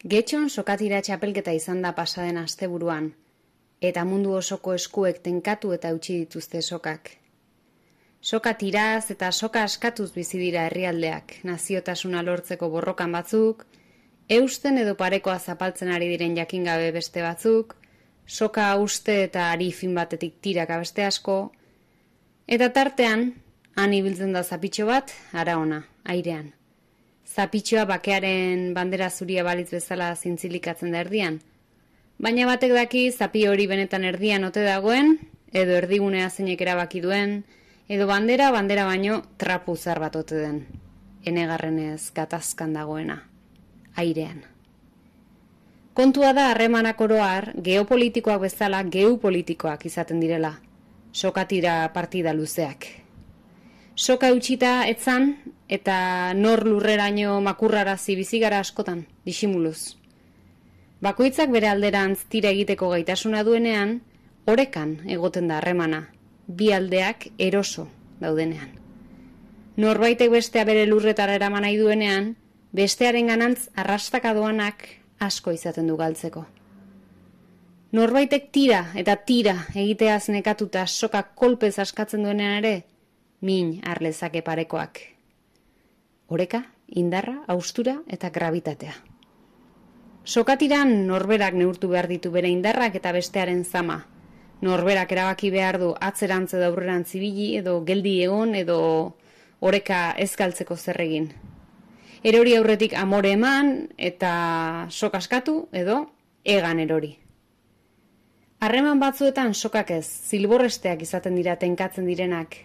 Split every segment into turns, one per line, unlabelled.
Getxon sokatira txapelketa izan da pasaden asteburuan, eta mundu osoko eskuek tenkatu eta utzi dituzte sokak. Soka tiraz eta soka askatuz bizi dira herrialdeak, naziotasuna lortzeko borrokan batzuk, eusten edo parekoa zapaltzen ari diren jakingabe beste batzuk, soka uste eta ari fin batetik tiraka beste asko, eta tartean, han ibiltzen da zapitxo bat, ara ona, airean. Zapitxoa bakearen bandera zuria balitz bezala zintzilikatzen da erdian, baina batek daki zapi hori benetan erdian ote dagoen, edo erdigunea zeinek erabaki duen, edo bandera baino trapu zar bat ote den, enegarrenez gatazkan dagoena, airean. Kontua da harremanak oroar geopolitikoak bezala geopolitikoak izaten direla, sokatira partida luzeak. Soka eutxita etzan eta nor lurreraino makurrarazi bizigara askotan, disimuluz. Bakoitzak bere alderantz tira egiteko gaitasuna duenean, orekan egoten da harremana, bi aldeak eroso daudenean. Norbaitek bestea bere lurretara eraman nahi duenean, bestearen ganantz arrastaka doanak asko izaten du galtzeko. Norbaitek tira eta tira egiteaz nekatuta soka kolpez askatzen duenean ere, min harlezake parekoak. Oreka, indarra, haustura eta gravitatea. Sokatiran norberak neurtu behar ditu bere indarrak eta bestearen zama. Norberak erabaki behar du atzerantz edo aurrerantz ibili edo geldi egon edo oreka ez galtzeko zer egin. Erori aurretik amore eman eta sok askatu edo egan erori. Harreman batzuetan sokak ez, zilborresteak izaten dira tenkatzen direnak,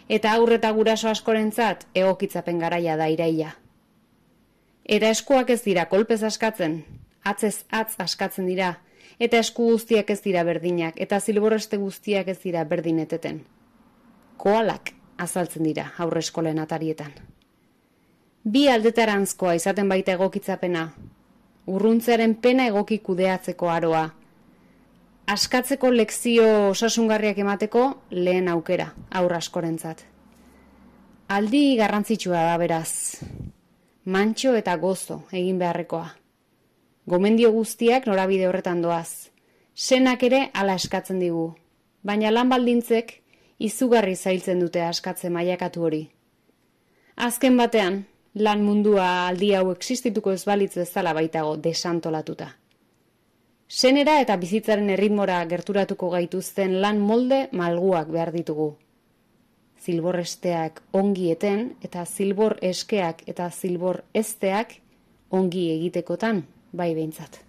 eta aurre eta guraso askorentzat egokitzapen garaia da iraila. Eta eskuak ez dira kolpez askatzen, atzez atz askatzen dira, eta esku guztiak ez dira berdinak, eta zilborreste guztiak ez dira berdineteten. Koalak azaltzen dira aurre eskolen atarietan. Bi aldetarantzkoa izaten baita egokitzapena, urruntzearen pena egoki kudeatzeko aroa, askatzeko lekzio osasungarriak emateko lehen aukera, aurra askorentzat. Aldi garrantzitsua da beraz, mantxo eta gozo egin beharrekoa. Gomendio guztiak norabide horretan doaz, senak ere hala eskatzen digu, baina lan baldintzek izugarri zailtzen dute askatze mailakatu hori. Azken batean, lan mundua aldi hau existituko ez balitz bezala baitago desantolatuta. Senera eta bizitzaren erritmora gerturatuko gaituzten lan molde malguak behar ditugu. Zilborresteak ongi eten eta zilbor eskeak eta zilbor ezteak ongi egitekotan bai behintzat.